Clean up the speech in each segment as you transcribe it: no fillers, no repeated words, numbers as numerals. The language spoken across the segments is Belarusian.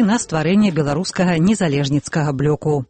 грошы на стварэнне беларускага незалежніцкага блоку.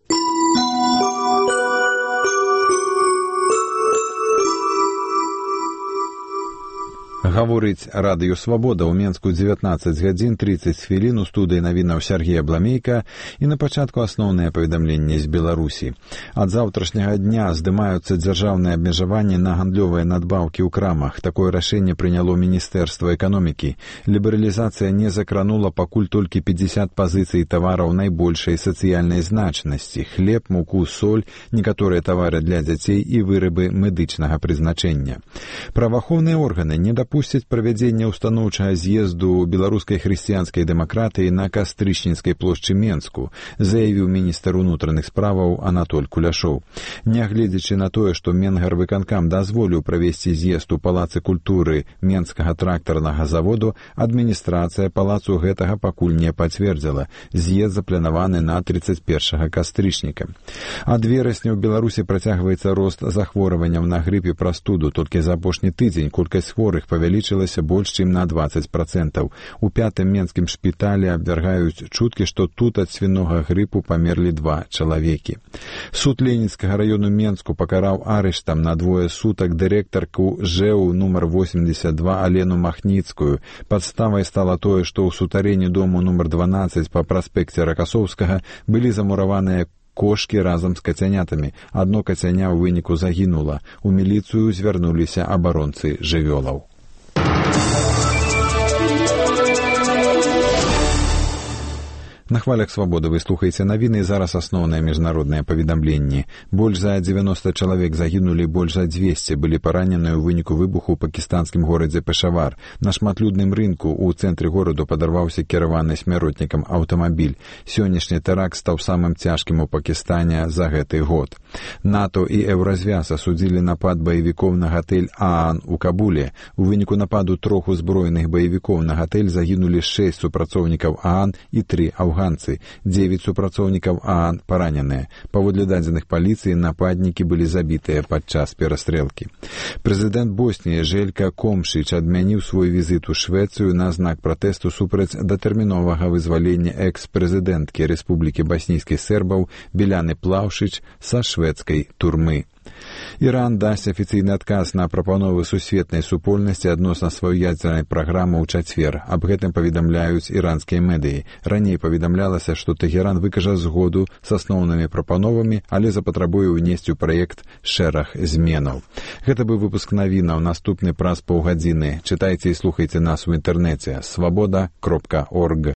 Гаворыць радыё «Свабода» ў Менску 19 гадзін 30 хвілін у студыі навінаў Сергей Абламейка і на пачатку асноўныя паведамленні з Беларусі. Ад заўтрашняга дня здымаюцца дзяржаўныя абмежаванні на гандлёвыя надбаўкі ў крамах. Такое рашэнне прыняло Міністэрства эканомікі. Лібералізацыя не закранула пакуль толькі 50 пазіцый тавараў найбольшай сацыяльнай значнасці: хлеб, муку, соль, некаторыя тавары для дзяцей і вырабы медычнага прызначэння. Праваахоўныя органы не дапусцяць правядзення ўстаноўчага з'езду беларускай хрысціянскай дэмакратыі на Кастрычніцкай плошчы Менску, заявіў міністр унутраных справаў Анатоль Куляшоў. Нягледзячы на тое, што Менгарвыканкам дазволіў правесці з'езд у палацы культуры Менскага трактарнага заводу, адміністрацыя палацу гэтага пакуль не пацвердзіла. З'езд запланаваны на 31 кастрычніка. Ад верасня ў Беларусі працягваецца рост захворванняў на грып і прастуду. Толькі за апошні тыдзень колькасць хворых павялічылася больш чым на 20%. У 5-м менскім шпіталі абвяргаюць чуткі, што тут ад свінога грыпу памерлі 2 чалавекі. Суд Ленінскага раёну Менску пакараў арыштам на 2 сутак дырэктарку ЖЭУ нумар 82 Алену Махніцкую. Падставай стала тое, што ў сутарэнні дому нумар 12 па праспекце Ракасоўскага былі замураваныя кошкі разам з кацянятамі. Адно кацяня ў выніку загінула. У міліцыю звярнуліся абаронцы жывёлаў. На хвалях «Свабоды» вы слухаеце навіны, зараз асноўныя міжнародныя паведамленні. Больш за 90 чалавек загінулі, больш за 200 былі параненыя ў выніку выбуху ў пакістанскім горадзе Пешавар. На шматлюдным рынку ў цэнтры гораду падарваўся кіраваны смяротнікам аўтамабіль. Сённяшні тэракт стаў самым цяжкім у Пакістане за гэты год. НАТО і Еўразвяз асудзілі напад баевікоў на гатэль Аан у Кабуле. У выніку нападу 3 узброеных баевікоў на гатэль загінулі 6 супрацоўнікаў Аан і 3 афганцы. 9 супрацоўнікаў Аан параненыя. Паводле дадзеных паліцыі, нападнікі былі забітыя падчас перастрэлкі. Прэзідэнт Босніі Желька Комшыч адмяніў свой візіт у Швецыю на знак пратэсту супраць датэрміновага вызвалення экс-прэзідэнткі Рэспублікі Баснійскіх Сербаў Біляны Плаўшыч са шведскай турмы. Іран дасць афіцыйны адказ на прапановы сусветнай супольнасці адносна сваёй ядзернай праграмы ў чацвер. Аб гэтым паведамляюць іранскія медыі. Раней паведамлялася, што Тэхеран выкажа згоду з асноўнымі прапановамі, але запатрабуе ўнесці ў праект шэраг зменаў. Гэта быў выпуск навінаў. Наступны праз паўгадзіны. Чытайце і слухайце нас у інтэрнэце. Свабода.орг.